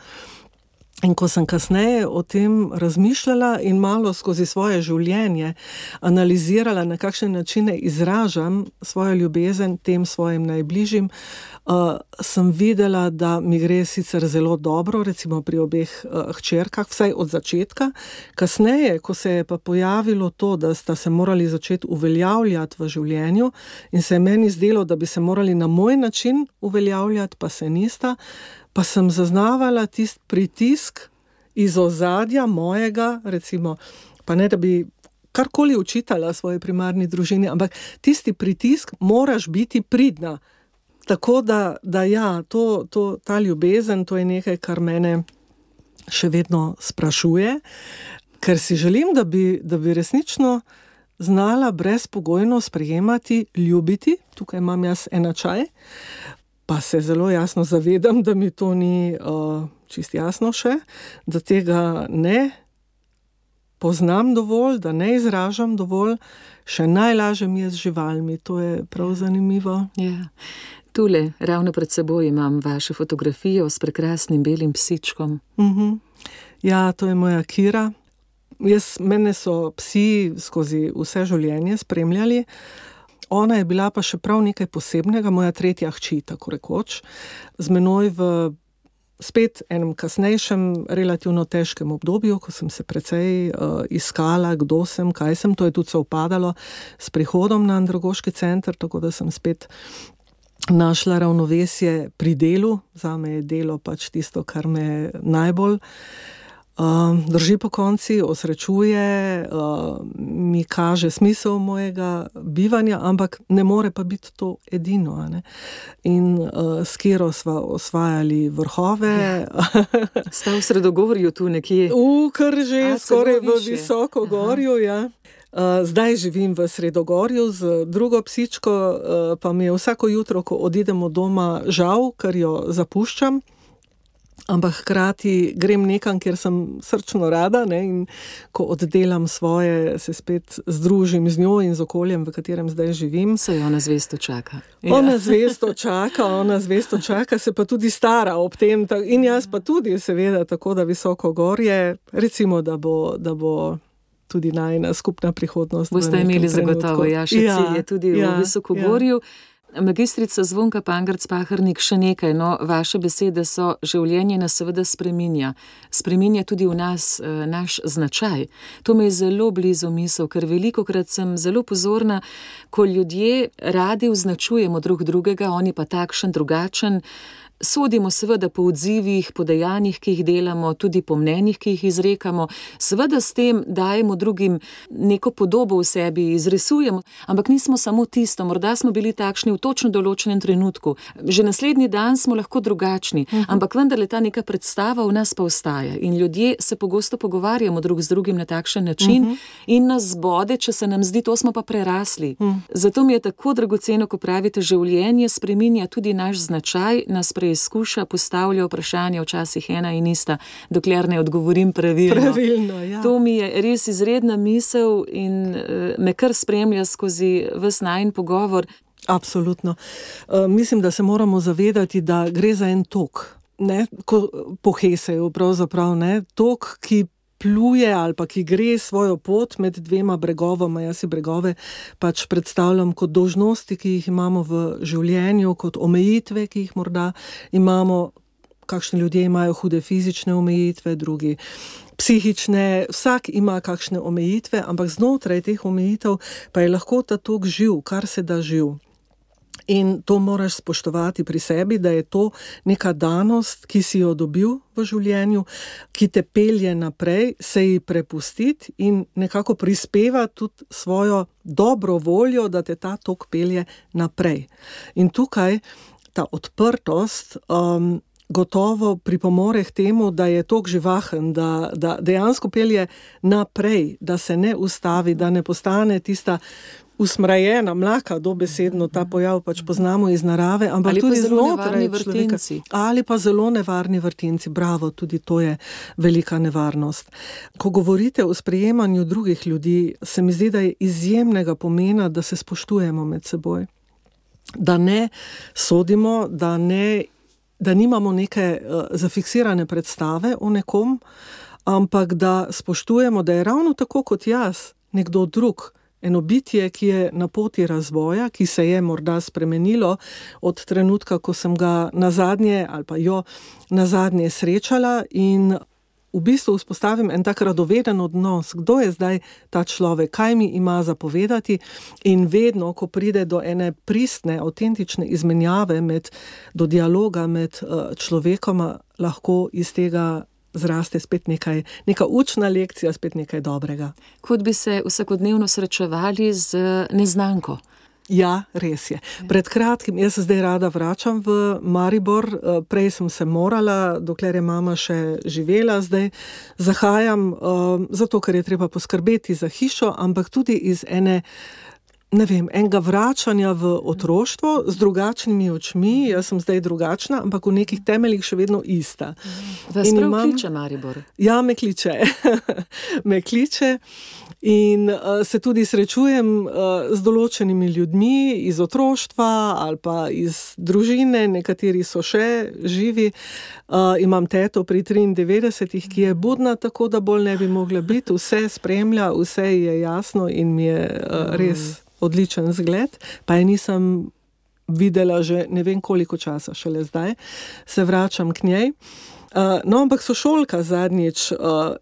In ko sem kasneje o tem razmišljala in malo skozi svoje življenje analizirala, na kakšne načine izražam svojo ljubezen tem svojim najbližjim, sem videla, da mi gre sicer zelo dobro, recimo pri obeh hčerkah, vsaj od začetka. Kasneje, ko se je pa pojavilo to, da sta se morali začeti uveljavljati v življenju in se je meni zdelo, da bi se morali na moj način uveljavljati, pa se nista, pa sem zaznavala tisti pritisk iz ozadja mojega, recimo, pa ne da bi karkoli učitala svoji primarni družini, ampak tisti pritisk, moraš biti pridna. Tako da ja, ta ljubezen, to je nekaj, kar mene še vedno sprašuje, ker si želim, da bi resnično znala brezpogojno sprejemati, ljubiti, tukaj imam jaz enačaj, pa se zelo jasno zavedam, da mi to ni čisto jasno še, da tega ne poznam dovolj, da ne izražam dovolj, še najlažje mi je z živalmi, to je prav zanimivo. Ja. Tule, ravno pred seboj imam vašo fotografijo s prekrasnim belim psičkom. Ja, to je moja Kira. Mene so psi skozi vse življenje spremljali. Ona je bila pa še prav nekaj posebnega, moja tretja hči, tako rekoč, z menoj v spet enem kasnejšem, relativno težkem obdobju, ko sem se precej iskala, kdo sem, kaj sem, to je tudi sovpadalo s prihodom na andragoški center, tako da sem spet našla ravnovesje pri delu. Zame je delo pač tisto, kar me najbolj drži pokonci, osrečuje, mi kaže smisel mojega bivanja, ampak ne more pa biti to edino. Ne? In s katero sva osvajali vrhove. Sta v Sredogorju tu nekje? Kar že skoraj v Visokogorju, ja. Zdaj živim v Sredogorju z drugo psičko, pa mi je vsako jutro, ko odidemo doma, žal, ker jo zapuščam. Ampak hkrati grem nekam, kjer sem srčno rada, ne, in ko oddelam svoje, se spet združim z njo in z okoljem, v katerem zdaj živim. Se ona zvesto čaka. Ona zvesto čaka, se pa tudi stara ob tem. In jaz pa tudi, seveda, tako da Visokogorje, recimo, da bo tudi najina skupna prihodnost. Boste imeli zagotovo, še cilj je tudi v Visokogorju. Magistrica Zvonka Pangerc-Pahernik, še nekaj, vaše besede so: življenje nas seveda spreminja. Spreminja tudi v nas naš značaj. To me je zelo blizu misel, ker velikokrat sem zelo pozorna, ko ljudje radi označujemo drug drugega, oni pa takšen, drugačen. Sodimo seveda po odzivih, po dejanjih, ki jih delamo, tudi po mnenjih, ki jih izrekamo. Seveda s tem dajemo drugim neko podobo v sebi, izrisujemo, ampak nismo samo tisto, morda smo bili takšni v točno določenem trenutku. Že naslednji dan smo lahko drugačni, ampak vendarle ta neka predstava v nas pa ostaja. In ljudje se pogosto pogovarjamo drug z drugim na takšen način in nas zbode, če se nam zdi, to smo pa prerasli. Zato mi je tako dragoceno, ko pravite, življenje spreminja tudi naš značaj, nas preizkuša, postavlja vprašanja, včasih ena in ista, dokler ne odgovorim pravilno. Ja. To mi je res izredna misel in me kar spremlja skozi ves najin pogovor. Absolutno. Mislim, da se moramo zavedati, da gre za en tok. Ko po Heseju pravzaprav, tok, ki pluje ali pa ki gre svojo pot med dvema bregovama. Jaz si bregove pač predstavljam kot dolžnosti, ki jih imamo v življenju, kot omejitve, ki jih morda imamo. Kakšni ljudje imajo hude fizične omejitve, drugi psihične, vsak ima kakšne omejitve, ampak znotraj teh omejitev pa je lahko ta tok živ, kar se da živ. In to moraš spoštovati pri sebi, da je to neka danost, ki si jo dobil v življenju, ki te pelje naprej, se ji prepustiti in nekako prispeva tudi svojo dobro voljo, da te ta tok pelje naprej. In tukaj ta odprtost gotovo pripomore k temu, da je tok živahen, da dejansko pelje naprej, da se ne ustavi, da ne postane tista usmrajena, mlaka, dobesedno ta pojav pač poznamo iz narave, ampak tudi znotraj človeka. Ali pa zelo nevarni vrtinci. Bravo, tudi to je velika nevarnost. Ko govorite o sprejemanju drugih ljudi, se mi zdi, da je izjemnega pomena, da se spoštujemo med seboj. Da ne sodimo, da nimamo neke zafiksirane predstave o nekom, ampak da spoštujemo, da je ravno tako kot jaz, nekdo drug, eno bitje, ki je na poti razvoja, ki se je morda spremenilo od trenutka, ko sem ga nazadnje ali pa jo nazadnje srečala, in v bistvu vzpostavim en tak radoveden odnos, kdo je zdaj ta človek, kaj mi ima zapovedati, in vedno, ko pride do ene pristne, avtentične izmenjave, do dialoga med človekoma, lahko iz tega zraste spet neka učna lekcija, spet nekaj dobrega. Kot bi se vsakodnevno srečevali z neznanko. Ja, res je. Pred kratkim, jaz se zdaj rada vračam v Maribor, prej sem se morala, dokler je mama še živela, zdaj zahajam, zato ker je treba poskrbeti za hišo, ampak tudi iz enega vračanja v otroštvo z drugačnimi očmi. Jaz sem zdaj drugačna, ampak v nekih temeljih še vedno ista. Vas prav kliče Maribor? Ja, me kliče. Me kliče in se tudi srečujem z določenimi ljudmi iz otroštva ali pa iz družine, nekateri so še živi. Imam teto pri 93, ki je budna, tako da bolj ne bi mogla biti. Vse spremlja, vse je jasno in mi je res odličen zgled, pa je nisem videla že ne vem koliko časa, šele zdaj se vračam k njej. No, ampak sošolka zadnjič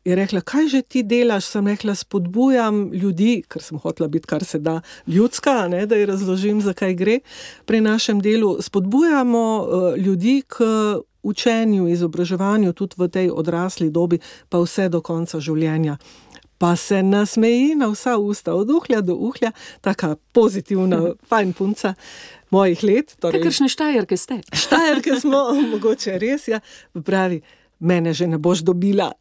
je rekla, kaj že ti delaš? Sem rekla, spodbujam ljudi, ker sem hotela biti kar se da ljudska, ne, da ji razložim, zakaj gre pri našem delu. Spodbujamo ljudi k učenju, izobraževanju tudi v tej odrasli dobi, pa vse do konca življenja. Pa se nasmeji na vsa usta, od uhlja do uhlja, taka pozitivna, fajn punca mojih let. Torej, kakršne Štajerke ste? Štajerke smo, mogoče res, ja. Pravi, mene že ne boš dobila.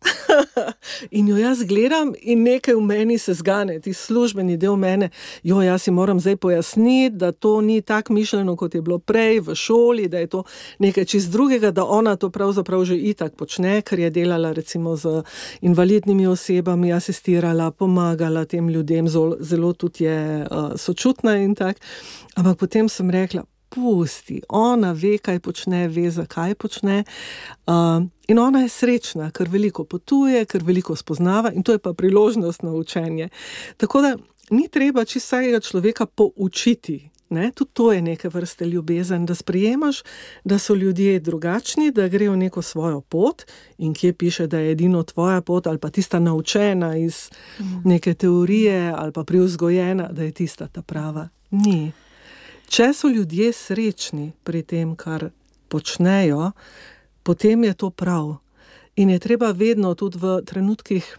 In jo jaz gledam in nekaj v meni se zgane, ti službeni del mene, jaz si moram zdaj pojasniti, da to ni tako mišljeno, kot je bilo prej v šoli, da je to nekaj čist drugega, da ona to pravzaprav že itak počne, ker je delala recimo z invalidnimi osebami, asistirala, pomagala tem ljudem, zelo tudi je sočutna in tak. Ampak potem sem rekla, pusti, ona ve, kaj počne, ve, zakaj počne. In ona je srečna, ker veliko potuje, ker veliko spoznava in to je pa priložnost na učenje. Tako da ni treba čisto vsakega človeka poučiti. Ne? Tudi to je neke vrste ljubezen, da sprejemaš, da so ljudje drugačni, da grejo neko svojo pot in kje piše, da je edino tvoja pot ali pa tista naučena iz neke teorije ali pa privzgojena, da je tista ta prava. Ni. Če so ljudje srečni pri tem, kar počnejo, potem je to prav. In je treba vedno tudi v trenutkih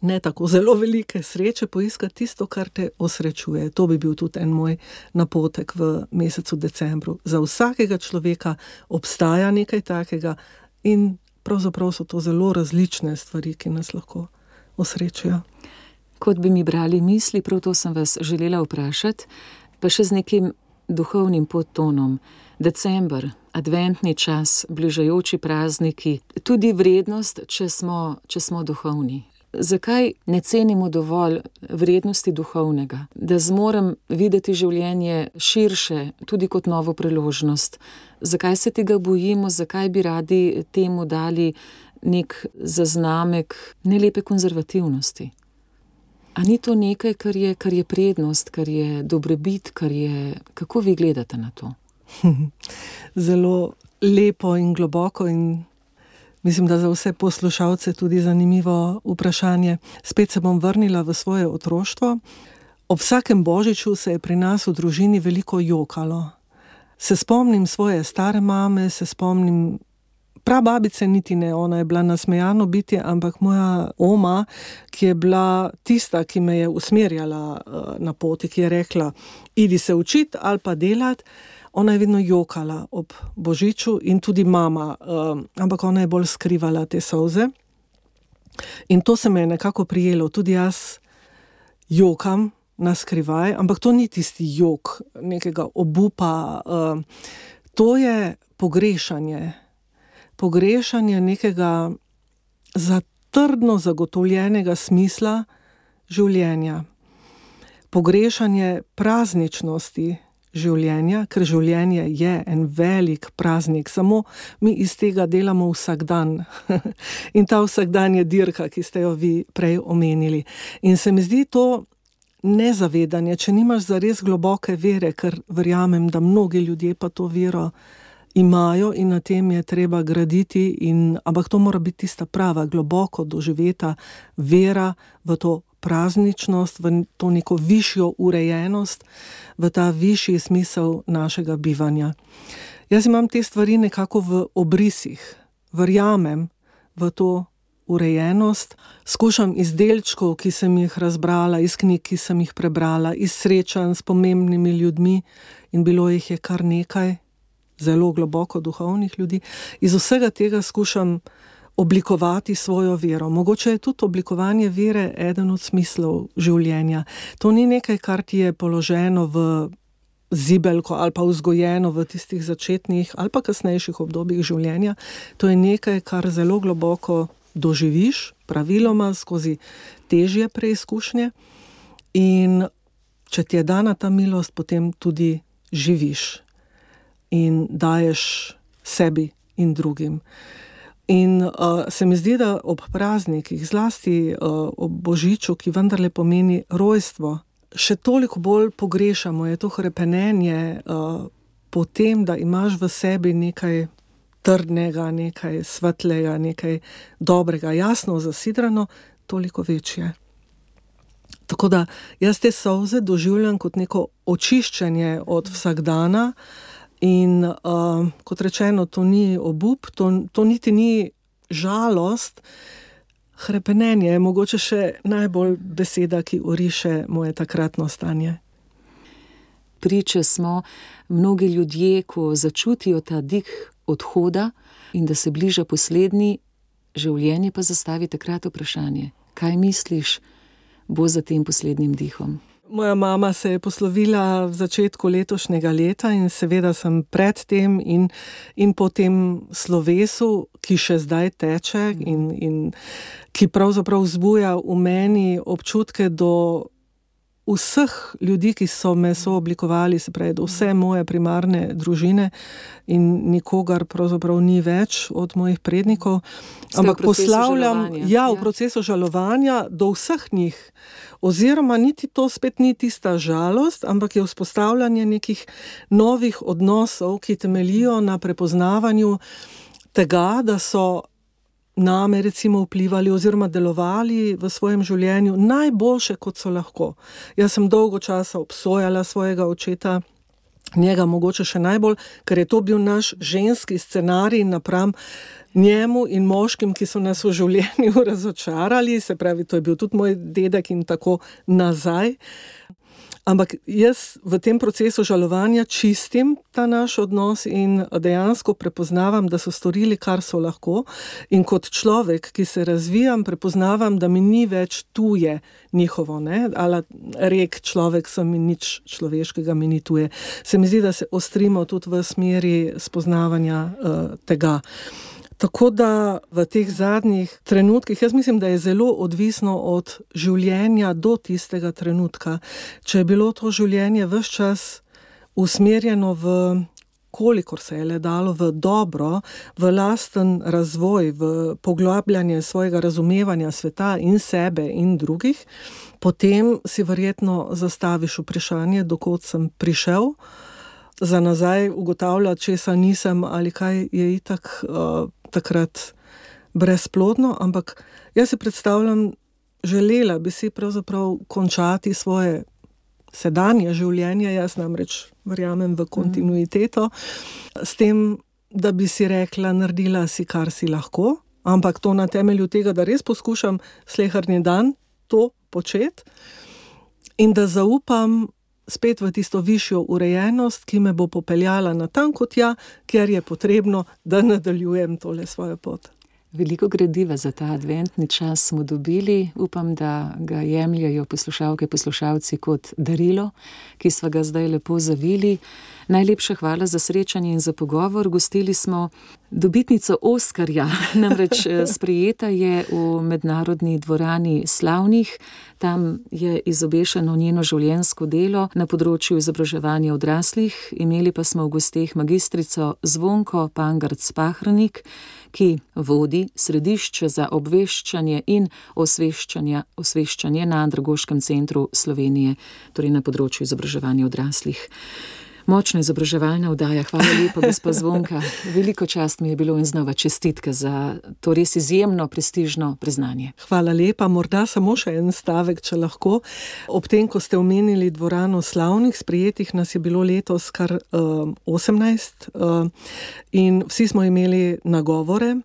ne tako zelo velike sreče poiskati tisto, kar te osrečuje. To bi bil tudi en moj napotek v mesecu decembru. Za vsakega človeka obstaja nekaj takega in pravzaprav so to zelo različne stvari, ki nas lahko osrečijo. Kot bi mi brali misli, prav to sem vas želela vprašati, pa še z nekim duhovnim podtonom. December, adventni čas, bližajoči prazniki, tudi vrednost, če smo duhovni. Zakaj ne cenimo dovolj vrednosti duhovnega? Da zmorem videti življenje širše, tudi kot novo priložnost. Zakaj se tega bojimo, zakaj bi radi temu dali nek zaznamek nelepe konzervativnosti? A ni to nekaj, kar je prednost, kar je dobrobit, kako vi gledate na to? Zelo lepo in globoko in mislim, da za vse poslušalce tudi zanimivo vprašanje. Spet se bom vrnila v svoje otroštvo. Ob vsakem božiču se je pri nas v družini veliko jokalo. Se spomnim svoje stare mame, se spomnim prababice, niti ne, ona je bila nasmejano bitje, ampak moja oma, ki je bila tista, ki me je usmerjala na poti, ki je rekla, idi se učiti ali pa delati, ona je vedno jokala ob božiču in tudi mama, ampak ona je bolj skrivala te solze. In to se me je nekako prijelo, tudi jaz jokam na skrivaj, ampak to ni tisti jok nekega obupa, to je pogrešanje nekega trdno zagotovljenega smisla življenja, pogrešanje prazničnosti življenja, ker življenje je en velik praznik, samo mi iz tega delamo vsak dan. In ta vsak dan je dirka, ki ste jo vi prej omenili. In se mi zdi to nezavedanje, če nimaš zares globoke vere, ker verjamem, da mnogi ljudje pa to vero imajo in na tem je treba graditi, ampak to mora biti tista prava, globoko doživeta vera v to prazničnost, v to neko višjo urejenost, v ta višji smisel našega bivanja. Jaz imam te stvari nekako v obrisih, verjamem v to urejenost, skušam iz delčkov, ki sem jih razbrala, iz knjig, ki sem jih prebrala, iz srečanj s pomembnimi ljudmi in bilo jih je kar nekaj, zelo globoko duhovnih ljudi, iz vsega tega skušam oblikovati svojo vero. Mogoče je tudi oblikovanje vere eden od smislov življenja. To ni nekaj, kar ti je položeno v zibelko ali pa vzgojeno v tistih začetnih ali pa kasnejših obdobjih življenja. To je nekaj, kar zelo globoko doživiš, praviloma skozi težje preizkušnje in če ti je dana ta milost, potem tudi živiš in daješ sebi in drugim. In se mi zdi, da ob praznikih, zlasti ob božiču, ki vendarle pomeni rojstvo, še toliko bolj pogrešamo, je to hrepenenje po tem, da imaš v sebi nekaj trdnega, nekaj svetlega, nekaj dobrega, jasno zasidrano, toliko večje. Tako da jaz te solze doživljam kot neko očiščenje od vsakdana in kot rečeno, to ni obup, to niti ni žalost, hrepenenje je mogoče še najbolj beseda, ki oriše moje takratno stanje. Priče smo mnogi ljudje, ko začutijo ta dih odhoda in da se bliža poslednji, življenje pa zastavi takrat vprašanje. Kaj misliš, bo za tem poslednjim dihom? Moja mama se je poslovila v začetku letošnjega leta in seveda sem pred tem in po tem slovesu, ki še zdaj teče in ki pravzaprav vzbuja v meni občutke do vseh ljudi, ki so me sooblikovali, se pravi, do vse moje primarne družine in nikogar pravzaprav ni več od mojih prednikov. Ampak poslavljam, v procesu žalovanja do vseh njih. Oziroma niti to spet ni tista žalost, ampak je vzpostavljanje nekih novih odnosov, ki temeljijo na prepoznavanju tega, da so name recimo vplivali oziroma delovali v svojem življenju najboljše, kot so lahko. Jaz sem dolgo časa obsojala svojega očeta, njega mogoče še najbolj, ker je to bil naš ženski scenarij napram njemu in moškim, ki so nas v življenju razočarali, se pravi, to je bil tudi moj dedek in tako nazaj. Ampak jaz v tem procesu žalovanja čistim ta naš odnos in dejansko prepoznavam, da so storili, kar so lahko. In kot človek, ki se razvijam, prepoznavam, da mi ni več tuje njihovo, ne? Ali rek človek sem in nič človeškega mi ni tuje. Se mi zdi, da se ostrimo tudi v smeri spoznavanja tega. Tako da v teh zadnjih trenutkih, jaz mislim, da je zelo odvisno od življenja do tistega trenutka. Če je bilo to življenje ves čas usmerjeno v, kolikor se je le dalo, v dobro, v lasten razvoj, v poglabljanje svojega razumevanja sveta in sebe in drugih, potem si verjetno zastaviš vprašanje, dokot sem prišel, za nazaj ugotavljati, česa nisem ali kaj je itak takrat brezplodno, ampak jaz si predstavljam, želela bi si pravzaprav končati svoje sedanje življenje, jaz namreč verjamem v kontinuiteto, s tem, da bi si rekla, naredila si, kar si lahko, ampak to na temelju tega, da res poskušam sleherni dan to početi in da zaupam spet v tisto višjo urejenost, ki me bo popeljala na tanko tja, kjer je potrebno, da nadaljujem tole svojo pot. Veliko gradiva za ta adventni čas smo dobili. Upam, da ga jemljajo poslušalke, poslušalci kot darilo, ki sva ga zdaj lepo zavili. Najlepša hvala za srečanje in za pogovor. Gostili smo dobitnico Oskarja, namreč sprejeta je v Mednarodni dvorani Slavnih. Tam je izobešeno njeno življenjsko delo na področju izobraževanja odraslih. Imeli pa smo v gosteh magistrico Zvonko Pangarc-Pahrnik, ki vodi Središče za obveščanje in osveščanje na Andragoškem centru Slovenije, torej na področju izobraževanja odraslih. Močna izobraževalna oddaja, hvala lepa, gospa Zvonka. Veliko čast mi je bilo in znova čestitke za to res izjemno prestižno priznanje. Hvala lepa, morda samo še en stavek, če lahko. Ob tem, ko ste omenili dvorano Slavnih, sprejetih nas je bilo letos kar 18 in vsi smo imeli nagovore.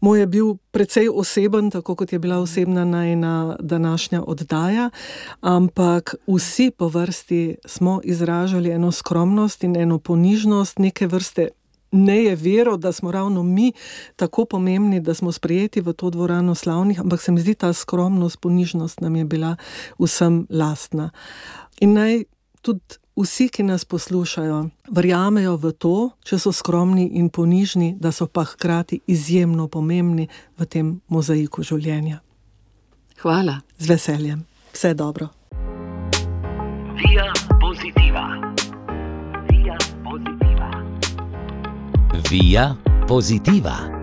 Moj je bil precej oseben, tako kot je bila osebna najina današnja oddaja, ampak vsi po vrsti smo izražali eno skromnost in eno ponižnost, neke vrste nejevero, da smo ravno mi tako pomembni, da smo sprejeti v to dvorano Slavnih, ampak se mi zdi ta skromnost, ponižnost nam je bila vsem lastna. In naj tudi vsi, ki nas poslušajo, verjamejo v to, če so skromni in ponižni, da so pa hkrati izjemno pomembni v tem mozaiku življenja. Hvala. Z veseljem. Vse dobro. Via Positiva. Via Positiva. Via Positiva.